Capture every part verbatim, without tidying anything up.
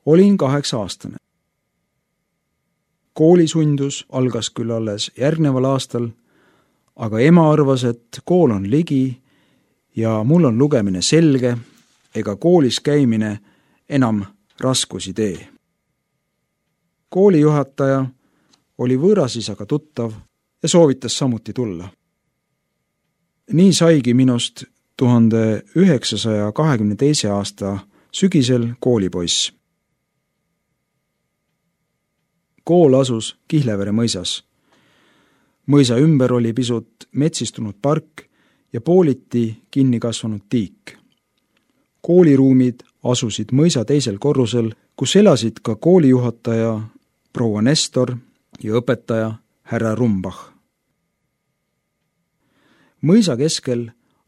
Olin kaheksa aastane. Koolisundus algas küll alles järgneval aastal, aga ema arvas, et kool on ligi ja mul on lugemine selge ega koolis käimine enam raskusi tee. Koolijuhataja oli võõrasisaga tuttav ja soovitas samuti tulla. Nii saigi minust tuhande üheksasaja kahekümne teise aasta sügisel koolipoiss. Kool asus Kihlevere mõisas. Mõisa ümber oli pisut metsistunud park ja pooliti kinni kasvanud tiik. Kooliruumid asusid mõisa teisel korrusel, kus elasid ka koolijuhataja proua Nestor ja õpetaja härra Rumbach. Mõisa keskel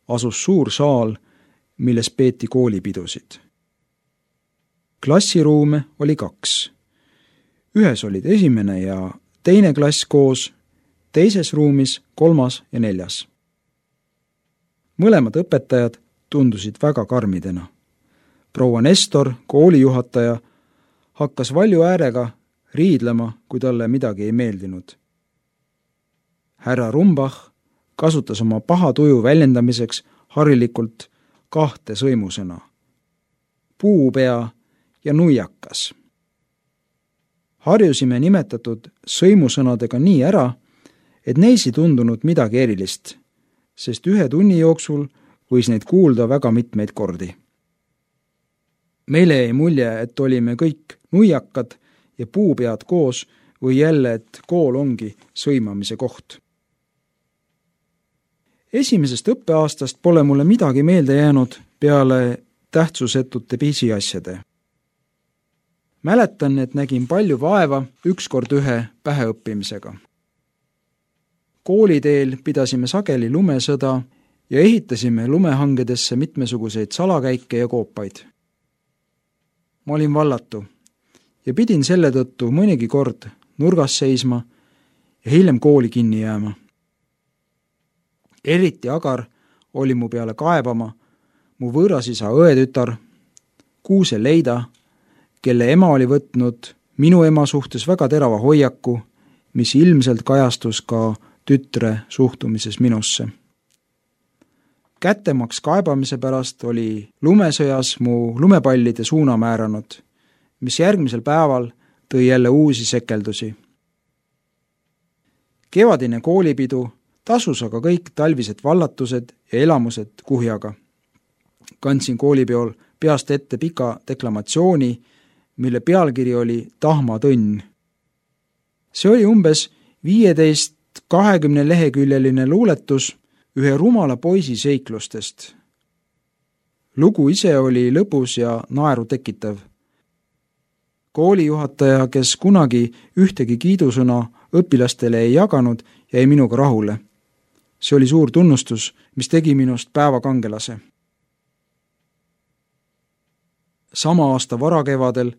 asus suur saal, milles peeti koolipidusid. Klassiruume oli kaks. Ühes olid esimene ja teine klass koos, teises ruumis kolmas ja neljas. Mõlemad õpetajad tundusid väga karmidena. Proua Nestor, koolijuhataja, hakkas valju äärega riidlema, kui talle midagi ei meeldinud. Härra Rumbach kasutas oma paha tuju väljendamiseks harilikult kahte sõimusõna. Puupea ja nuiakas. Harjusime nimetatud sõimusõnadega nii ära, et neis ei tundunud midagi erilist, sest ühe tunni jooksul võis neid kuulda väga mitmeid kordi. Meile jäi mulje, et olime kõik nuiakad ja puupead koos või jälle, et kool ongi sõimamise koht. Esimesest õppeaastast pole mulle midagi meelde jäänud peale tähtsusetute pisiasjade. Mäletan, et nägin palju vaeva ükskord ühe päheõppimisega. Kooliteel pidasime sageli lumesõda ja ehitasime lumehangedesse mitmesuguseid salakäike ja koopaid. Ma olin vallatu ja pidin selle tõttu mõnigi kord nurgas seisma ja hiljem kooli kinni jääma. Eriti agar oli mu peale kaebama mu võõrasisa õetütar Kuuse Leida, kelle ema oli võtnud minu ema suhtes väga terava hoiaku, mis ilmselt kajastus ka tütre suhtumises minusse. Kättemaks kaebamise pärast oli lumesõjas mu lumepallide suuna määranud, mis järgmisel päeval tõi jälle uusi sekeldusi. Kevadine koolipidu tasus aga kõik talvised vallatused ja elamused kuhjaga. Kandsin koolipeol peast ette pika deklamatsiooni, mille pealkiri oli Tahmatõnn. See oli umbes viieteist kahekümne leheküljeline luuletus ühe rumala poisi seiklustest. Lugu ise oli lõbus ja naeru tekitav. Koolijuhataja, kes kunagi ühtegi kiidusõna õpilastele ei jaganud, jäi minuga rahule. See oli suur tunnustus, mis tegi minust päevakangelase. Sama aasta varakevadel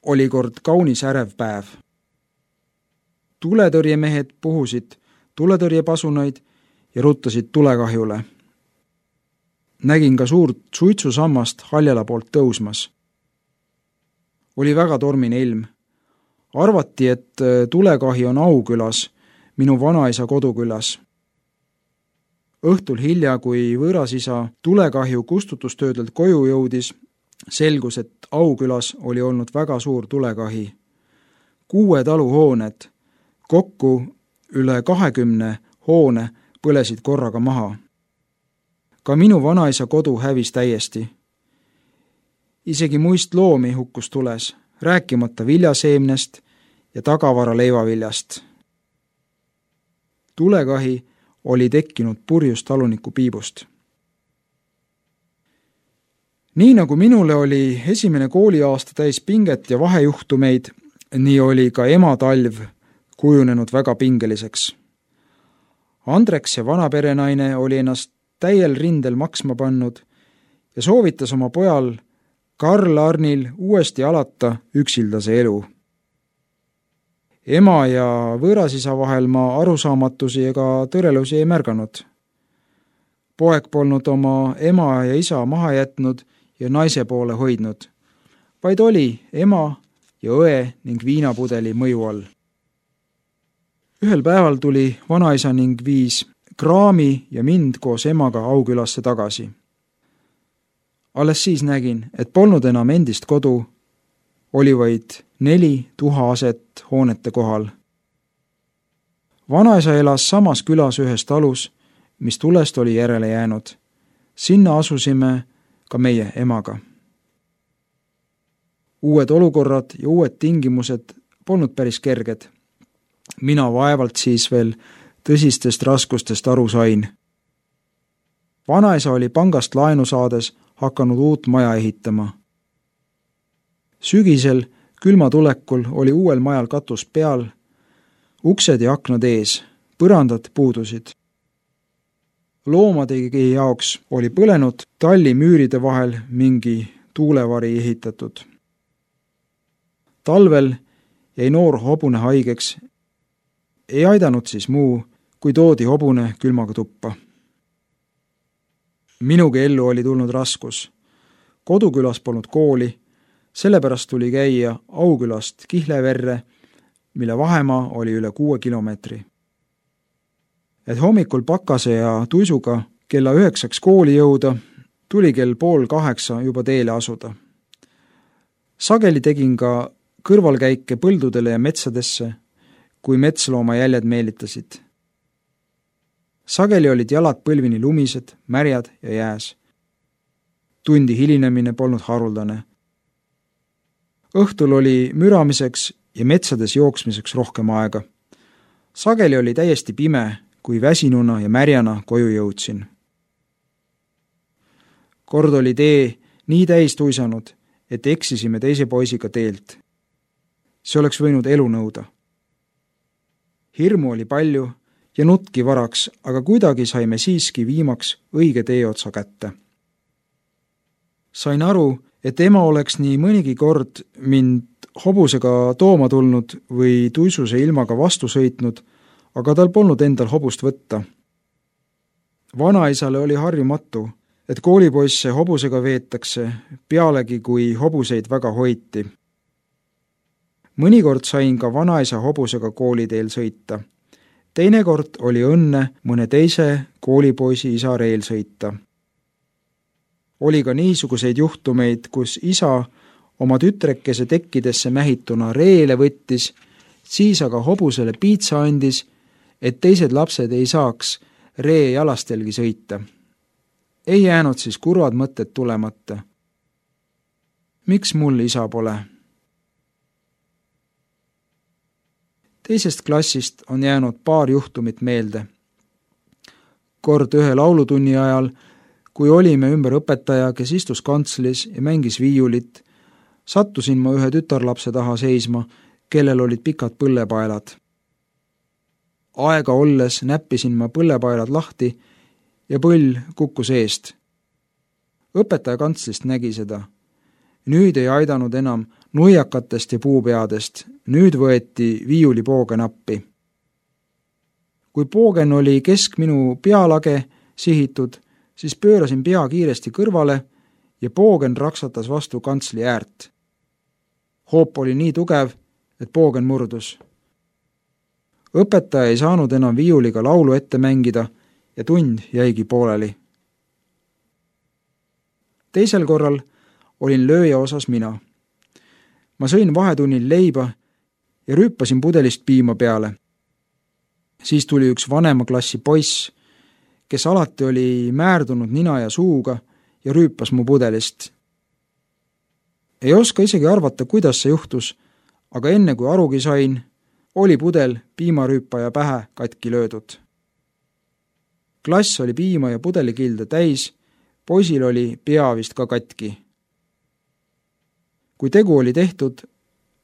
oli kord kaunis ärev päev. Tuletõrjemehed puhusid tuletõrjepasunaid ja ruttasid tulekahjule. Nägin ka suurt suitsusammast Haljala poolt tõusmas. Oli väga tormine ilm. Arvati, et tulekahi on Aukülas, minu vanaisa kodukülas. Õhtul hilja, kui võõrasisa tulekahju kustutustöödelt koju jõudis, selgus, et Aukülas oli olnud väga suur tulekahi. Kuue taluhooned, kokku üle kahekümne hoone põlesid korraga maha. Ka minu vanaisa kodu hävis täiesti. Isegi muist loomi hukkus tules, rääkimata viljaseemnest ja tagavara leivaviljast. Tulekahi oli tekkinud purjust taluniku piibust. Nii nagu minule oli esimene kooliaasta täis pinget ja vahejuhtumeid, nii oli ka ema talv kujunenud väga pingeliseks. Andreks ja vanaperenaine oli ennast täiel rindel maksma pannud ja soovitas oma pojal Karl Arnil uuesti alata üksildase elu. Ema ja võõrasisa vahel ma arusaamatusi ega tõrelusi ei märganud. Poeg polnud oma ema ja isa maha jätnud ja naise poole hoidnud, vaid oli ema ja õe ning viinapudeli mõju all. Ühel päeval tuli vanaisa ning viis kraami ja mind koos emaga Aukülasse tagasi. Alles siis nägin, et polnud enam endist kodu, oli vaid neli tuhaaset hoonete kohal. Vanaisa elas samas külas ühes talus, mis tulest oli järele jäänud. Sinna asusime ka meie emaga. Uued olukorrad ja uued tingimused polnud päris kerged. Mina vaevalt siis veel tõsistest raskustest aru sain. Vanaisa oli pangast laenu saades hakanud uut maja ehitama. Sügisel külma tulekul oli uuel majal katus peal, uksed ja aknad ees, põrandad puudusid. Loomadegi jaoks oli põlenud talli müüride vahel mingi tuulevari ehitatud. Talvel jäi noor hobune haigeks, ei aidanud siis muu, kui toodi hobune külmaga tuppa. Minugi ellu oli tulnud raskus. Kodukülas polnud kooli, sellepärast tuli käia Aukülast Kihleverre, mille vahemaa oli üle kuue kilomeetri. Et hommikul pakase ja tuisuga kella üheksaks kooli jõuda, tuli kell pool kaheksa juba teele asuda. Sageli tegin ka kõrvalkäike põldudele ja metsadesse, kui metslooma jäljed meelitasid. Sageli olid jalad põlvini lumised, märjad ja jääs. Tundi hilinemine polnud haruldane. Õhtul oli müramiseks ja metsades jooksmiseks rohkem aega. Sageli oli täiesti pime, kui väsinuna ja märjana koju jõudsin. Kord oli tee nii täis tuisanud, et eksisime teise poisiga teelt. See oleks võinud elu nõuda. Hirmu oli palju ja nutki varaks, aga kuidagi saime siiski viimaks õige teeotsa kätte. Sain aru, et ema oleks nii mõnigi kord mind hobusega tooma tulnud või tuisuse ilmaga vastu sõitnud, aga tal polnud endal hobust võtta. Vanaisale oli harjumatu, et koolipoisse hobusega veetakse, pealegi kui hobuseid väga hoiti. Mõnikord sain ka vanaisa hobusega kooliteel sõita. Teinekord oli õnne mõne teise koolipoisi isa reel sõita. Oli ka niisuguseid juhtumeid, kus isa oma tütrekese tekkidesse mähituna reele võttis, siis aga hobusele piitsa andis, et teised lapsed ei saaks ree jalastelgi sõita. Ei jäänud siis kurvad mõtted tulemata. Miks mul isa pole? Teisest klassist on jäänud paar juhtumit meelde. Kord ühe laulutunni ajal, kui olime ümber õpetaja, kes istus kantslis ja mängis viiulit, sattusin ma ühe tütarlapse taha seisma, kellel olid pikad põllepaelad. Aega olles näppisin ma põllepaelad lahti ja põll kukkus eest. Õpetaja kantslist nägi seda. Nüüd ei aidanud enam nuiakatest ja puupeadest, nüüd võeti viiulipoogen appi. Kui poogen oli kesk minu pealage sihitud, siis pöörasin pea kiiresti kõrvale ja poogen raksatas vastu kantsli äärt. Hoop oli nii tugev, et poogen murdus. Õpetaja ei saanud enam viiuliga laulu ette mängida ja tund jäigi pooleli. Teisel korral olin lööja osas mina. Ma sõin vahetunnil leiba ja rüüpasin pudelist piima peale. Siis tuli üks vanema klassi poiss, kes alati oli määrdunud nina ja suuga ja rüüpas mu pudelist. Ei oska isegi arvata, kuidas see juhtus, aga enne kui arugi sain, oli pudel piimarüüpaja pähe katki löödud. Klass oli piima ja pudelikilde täis, poisil oli pea vist ka katki. Kui tegu oli tehtud,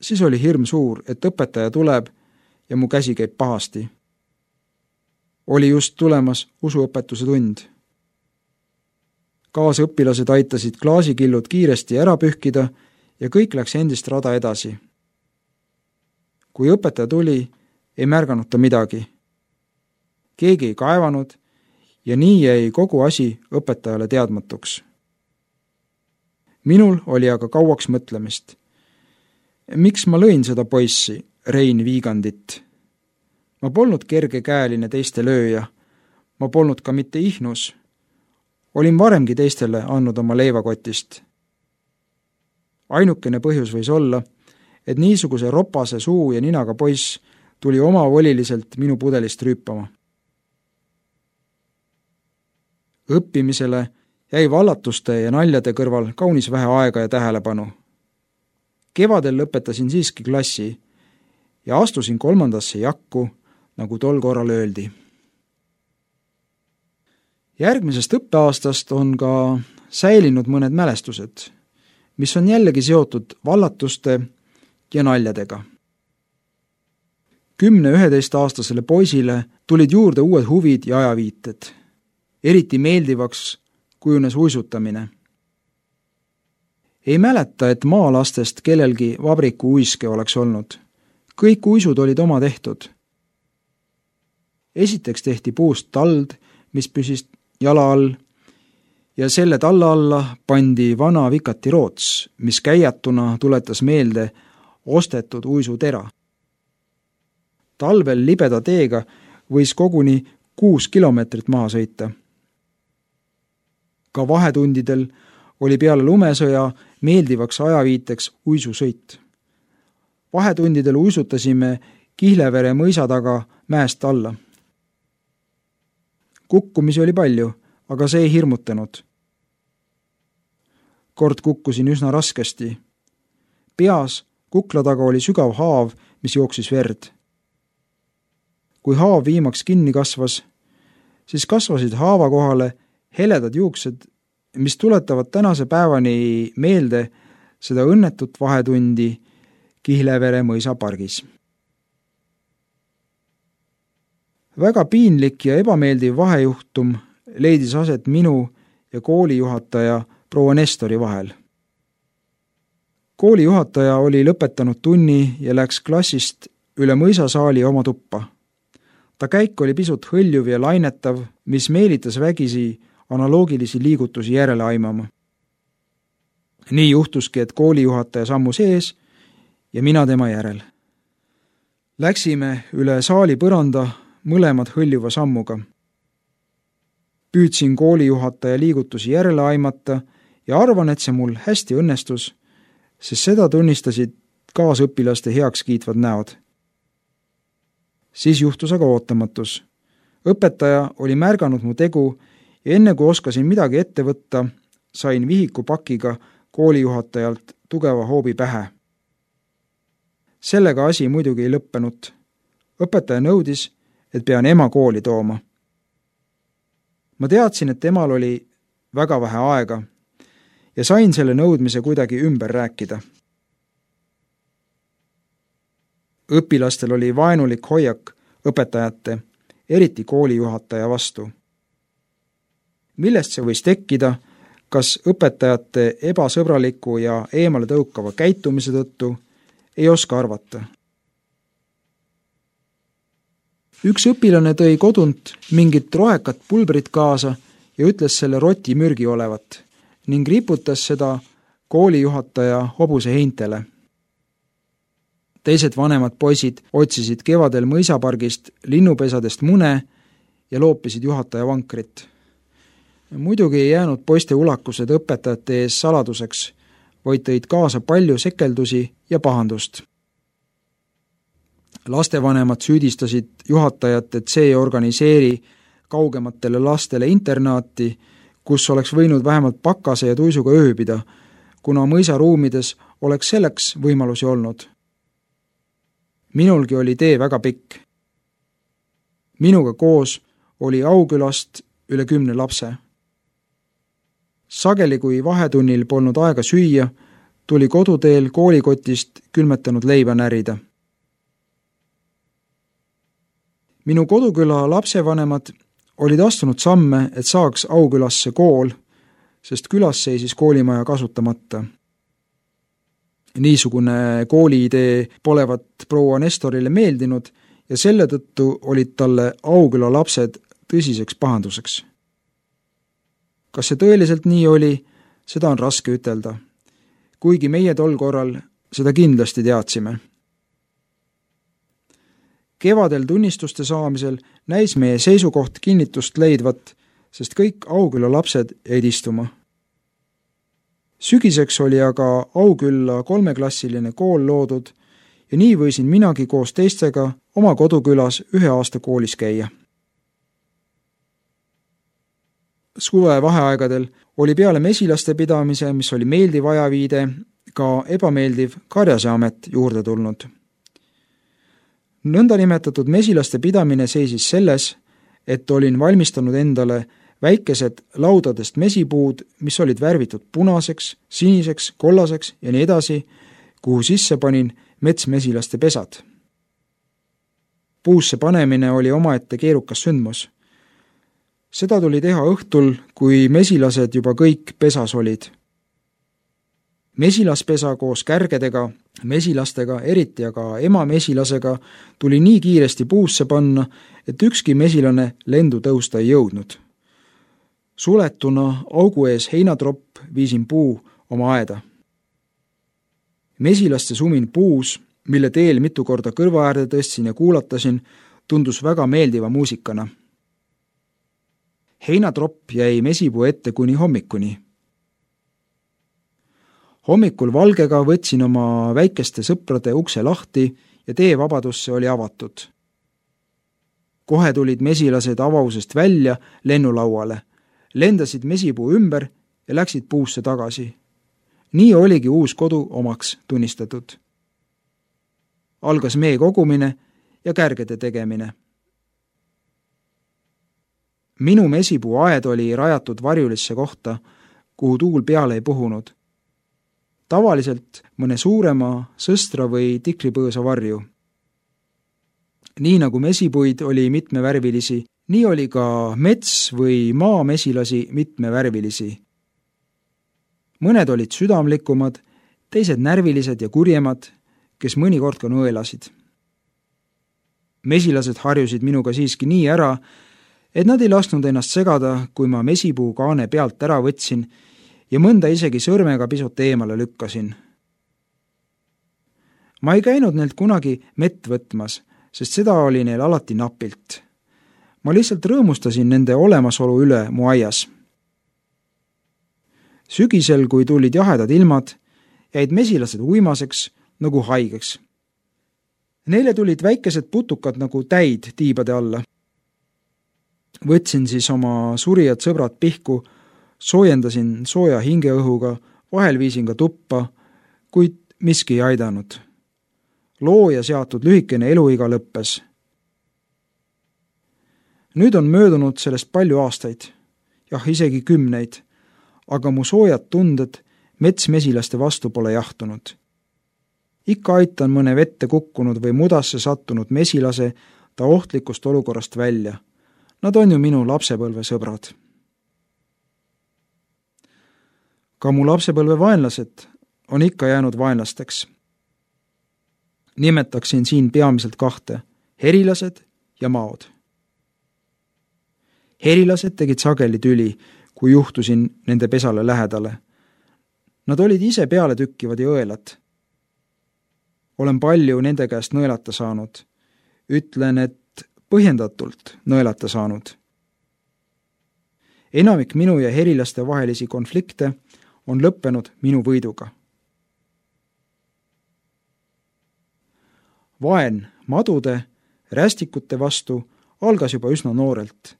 siis oli hirm suur, et õpetaja tuleb ja mu käsi käib pahasti. Oli just tulemas usuõpetuse tund. Kaasõpilased aitasid klaasikillud kiiresti ära pühkida ja kõik läks endist rada edasi. Kui õpetaja tuli, ei märganud ta midagi. Keegi ei kaevanud ja nii jäi kogu asi õpetajale teadmatuks. Minul oli aga kauaks mõtlemist. miks ma lõin seda poissi, Rein Viigandit? Ma polnud kergekäeline teiste lööja, ma polnud ka mitte ihnus. Olin varemgi teistele andnud oma leivakotist. Ainukene põhjus võis olla, et niisuguse ropase suu ja ninaga poiss tuli omavoliliselt minu pudelist rüüpama. Õppimisele jäi vallatuste ja naljade kõrval kaunis vähe aega ja tähelepanu. Kevadel lõpetasin siiski klassi ja astusin kolmandasse jakku, nagu tol korral öeldi. Järgmisest õppeaastast on ka säilinud mõned mälestused, mis on jällegi seotud vallatuste ja naljadega. Kümne-üheteist-aastasele poisile tulid juurde uued huvid ja ajaviited. Eriti meeldivaks kujunes uisutamine. Ei mäleta, et maalastest kellelgi vabriku uiske oleks olnud. Kõik uisud olid oma tehtud. Esiteks tehti puust tald, mis püsis jala all, ja selle talla alla pandi vana vikati roots, mis käiatuna tuletas meelde ostetud uisutera. Talvel libeda teega võis koguni kuus kilomeetrit maha sõita. Ka vahetundidel oli peale lumesõja meeldivaks ajaviiteks uisusõit. Vahetundidel uisutasime Kihlevere mõisa taga mäest alla. Kukkumisi oli palju, aga see ei hirmutanud. Kord kukkusin üsna raskesti. Peas kukla taga oli sügav haav, mis jooksis verd. Kui haav viimaks kinni kasvas, siis kasvasid haava kohale heledad juuksed, mis tuletavad tänase päevani meelde seda õnnetut vahetundi Kihlevere mõisa pargis. Väga piinlik ja ebameeldiv vahejuhtum leidis aset minu ja koolijuhataja proua Nestori vahel. Koolijuhataja oli lõpetanud tunni ja läks klassist üle mõisasaali oma tuppa. Ta käik oli pisut hõljuv ja lainetav, mis meelitas vägisi analoogilisi liigutusi järele aimama. Nii juhtuski, et koolijuhataja sammus ees ja mina tema järel. Läksime üle saali põranda mõlemad hõljuva sammuga. Püüdsin koolijuhataja liigutusi järele aimata ja arvan, et see mul hästi õnnestus, sest seda tunnistasid kaasõpilaste heaks kiitvad näod. Siis juhtus aga ootamatus. Õpetaja oli märganud mu tegu ja enne kui oskasin midagi ette võtta, sain vihikupakiga koolijuhatajalt tugeva hoobi pähe. Sellega asi muidugi ei lõppenud. Õpetaja nõudis, et pean ema kooli tooma. Ma teadsin, et emal oli väga vähe aega ja sain selle nõudmise kuidagi ümber rääkida. Õpilastel oli vaenulik hoiak õpetajate, eriti koolijuhataja vastu. Millest see võis tekkida, kas õpetajate ebasõbraliku ja eemale tõukava käitumise tõttu, ei oska arvata. Üks õpilane tõi kodunt mingit rohekat pulbrit kaasa ja ütles selle roti mürgi olevat ning riputas seda koolijuhataja hobuse heintele. Teised vanemad poisid otsisid kevadel mõisapargist linnupesadest mune ja loopisid juhataja vankrit. Muidugi ei jäänud poiste ulakused õpetajate ees saladuseks, vaid tõid kaasa palju sekeldusi ja pahandust. Lastevanemad süüdistasid juhatajat, et see ei organiseeri kaugematele lastele internaati, kus oleks võinud vähemalt pakase ja tuisuga ööbida, kuna mõisaruumides oleks selleks võimalusi olnud. Minulgi oli tee väga pikk. Minuga koos oli Aukülast üle kümne lapse. Sageli, kui vahetunnil polnud aega süüa, tuli koduteel koolikotist külmetanud leiba närida. Minu koduküla lapsevanemad olid astunud samme, et saaks Aukülasse kool, sest külas seisis koolimaja kasutamata. Niisugune kooliidee polevat proua Nestorile meeldinud ja selle tõttu olid talle Auküla lapsed tõsiseks pahanduseks. Kas see tõeliselt nii oli, seda on raske ütelda. Kuigi meie tol korral seda kindlasti teadsime. Kevadel tunnistuste saamisel näis meie seisukoht kinnitust leidvat, sest kõik Aukülla lapsed jäid istuma. Sügiseks oli aga Aukülla kolmeklassiline kool loodud ja nii võisin minagi koos teistega oma kodukülas ühe aasta koolis käia. Suve vaheaegadel oli peale mesilaste pidamise, mis oli meeldiv ajaviide, ka ebameeldiv karjase amet juurde tulnud. Nõndanimetatud mesilaste pidamine seisis selles, et olin valmistanud endale väikesed laudadest mesipuud, mis olid värvitud punaseks, siniseks, kollaseks ja nii edasi, kuhu sisse panin metsmesilaste pesad. Puusse panemine oli omaette keerukas sündmus. Seda tuli teha õhtul, kui mesilased juba kõik pesas olid. Mesilaspesa koos kärgedega, mesilastega, eriti aga ema mesilasega tuli nii kiiresti puusse panna, et ükski mesilane lendu tõusta ei jõudnud. Suletuna augu ees heinatropp viisin puu oma aeda. Mesilaste sumin puus, mille teel mitu korda kõrva äärde tõstsin ja kuulatasin, tundus väga meeldiva muusikana. Heinatropp jäi mesipuu ette kuni hommikuni. Hommikul valgega võtsin oma väikeste sõprade ukse lahti ja tee vabadusse oli avatud. Kohe tulid mesilased avausest välja lennulauale, lendasid mesipuu ümber ja läksid puusse tagasi. Nii oligi uus kodu omaks tunnistatud. Algas mee kogumine ja kärgede tegemine. Minu mesipuu aed oli rajatud varjulisse kohta, kuhu tuul peale ei puhunud. Tavaliselt mõne suurema sõstra või tikripõõsa varju. Nii nagu mesipuid oli mitmevärvilisi, nii oli ka mets või maamesilasi mitmevärvilisi. Mõned olid südamlikumad, teised närvilised ja kurjemad, kes mõnikord ka nõelasid. Mesilased harjusid minuga siiski nii ära, et nad ei lasknud ennast segada, kui ma mesipuu kaane pealt ära võtsin ja mõnda isegi sõrmega pisut eemale lükkasin. Ma ei käinud neilt kunagi mett võtmas, sest seda oli neil alati napilt. Ma lihtsalt rõõmustasin nende olemasolu üle mu aias. Sügisel, kui tulid jahedad ilmad, jäid mesilased uimaseks nagu haigeks. Neile tulid väikesed putukad nagu täid tiibade alla. Võtsin siis oma surijad sõbrad pihku, soojendasin sooja hingeõhuga, vahel viisin ka tuppa, kuid miski ei aidanud. Looja seatud lühikene eluiga lõppes. Nüüd on möödunud sellest palju aastaid, jah isegi kümneid, aga mu soojad tunded metsmesilaste vastu pole jahtunud. Ikka aitan mõne vette kukkunud või mudasse sattunud mesilase ta ohtlikust olukorrast välja. Nad on ju minu lapsepõlve sõbrad. Ka mu lapsepõlve vaenlased on ikka jäänud vaenlasteks. Nimetaksin siin peamiselt kahte, herilased ja maod. Herilased tegid sageli tüli, kui juhtusin nende pesale lähedale. Nad olid ise peale tükkivad ja õelad. Olen palju nende käest nõelata saanud. Ütlen, et põhjendatult nõelata saanud. Enamik minu ja herilaste vahelisi konflikte on lõppenud minu võiduga. Vaen madude, rästikute vastu algas juba üsna noorelt.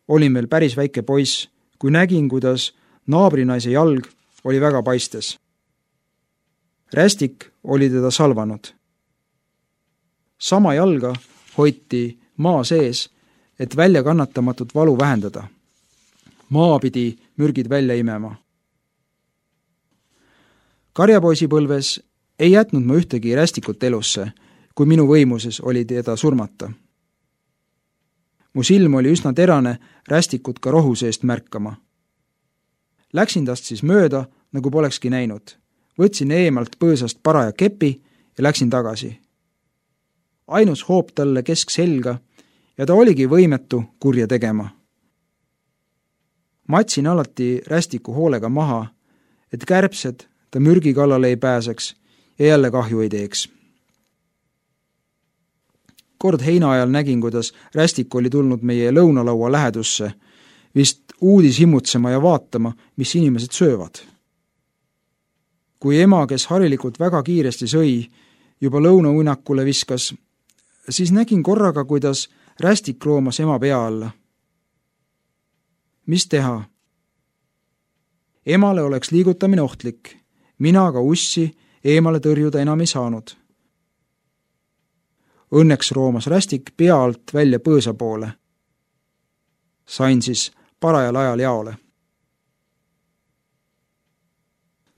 Olin veel päris väike poiss, kui nägin, kuidas naabrinaise jalg oli väga paistes. Rästik oli teda salvanud. Sama jalga hoiti maa sees, et välja kannatamatut valu vähendada. Maa pidi mürgid välja imema. Karjapoisipõlves ei jätnud ma ühtegi rästikut elusse, kui minu võimuses oli teda surmata. Mu silm oli üsna terane rästikut ka rohu seest märkama. Läksin tast siis mööda, nagu polekski näinud. Võtsin eemalt põõsast paraja kepi ja läksin tagasi. Ainus hoop talle kesk selga ja ta oligi võimetu kurja tegema. Matsin alati rästiku hoolega maha, et kärbsed ta mürgi kallale ei pääseks ja jälle kahju ei teeks. Kord heina ajal nägin, kuidas rästik oli tulnud meie lõunalaua lähedusse, vist uudis himmutsema ja vaatama, mis inimesed söövad. Kui ema, kes harilikult väga kiiresti sõi, juba lõunauinakule viskas, siis nägin korraga, kuidas rästik roomas ema pea alla. Mis teha? Emale oleks liigutamine ohtlik, mina aga ussi eemale tõrjuda enam ei saanud. Õnneks roomas rästik pea alt välja põõsa poole. Sain siis parajal ajal jaole.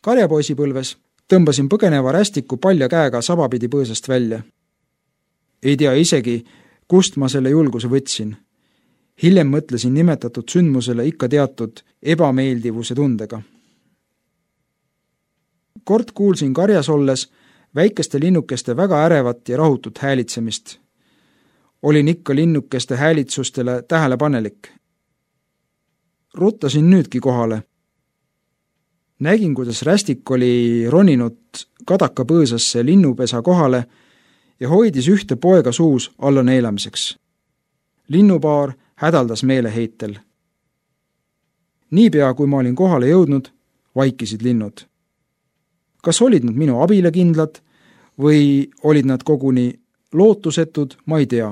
Karjapoisipõlves tõmbasin põgeneva rästiku palja käega sabapidi põõsast välja. Ei tea isegi, kust ma selle julguse võtsin. Hiljem mõtlesin nimetatud sündmusele ikka teatud ebameeldivuse tundega. Kord kuulsin karjas olles väikeste linnukeste väga ärevat ja rahutut häälitsemist. Olin ikka linnukeste häälitsustele tähelepanelik. Ruttasin nüüdki kohale. Nägin, kuidas rästik oli roninud kadaka põõsasse linnupesa kohale ja hoidis ühte poega suus alla neelamiseks. Linnupaar hädaldas meeleheitel. Niipea, kui ma olin kohale jõudnud, vaikisid linnud. Kas olid nad minu abile kindlad või olid nad koguni lootusetud, ma ei tea.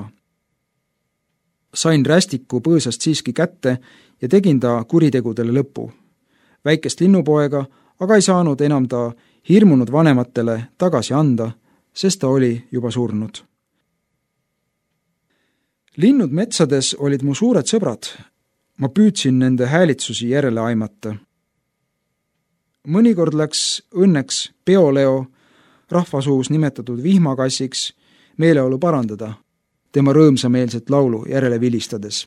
Sain rästiku põõsast siiski kätte ja tegin ta kuritegudele lõpu. Väikest linnupoega aga ei saanud enam ta hirmunud vanematele tagasi anda, sest ta oli juba surnud. Linnud metsades olid mu suured sõbrad. Ma püüdsin nende häälitsusi järele aimata. Mõnikord läks õnneks Peoleo, rahvasuus nimetatud vihmakassiks, meeleolu parandada, tema rõõmsameelset laulu järele vilistades.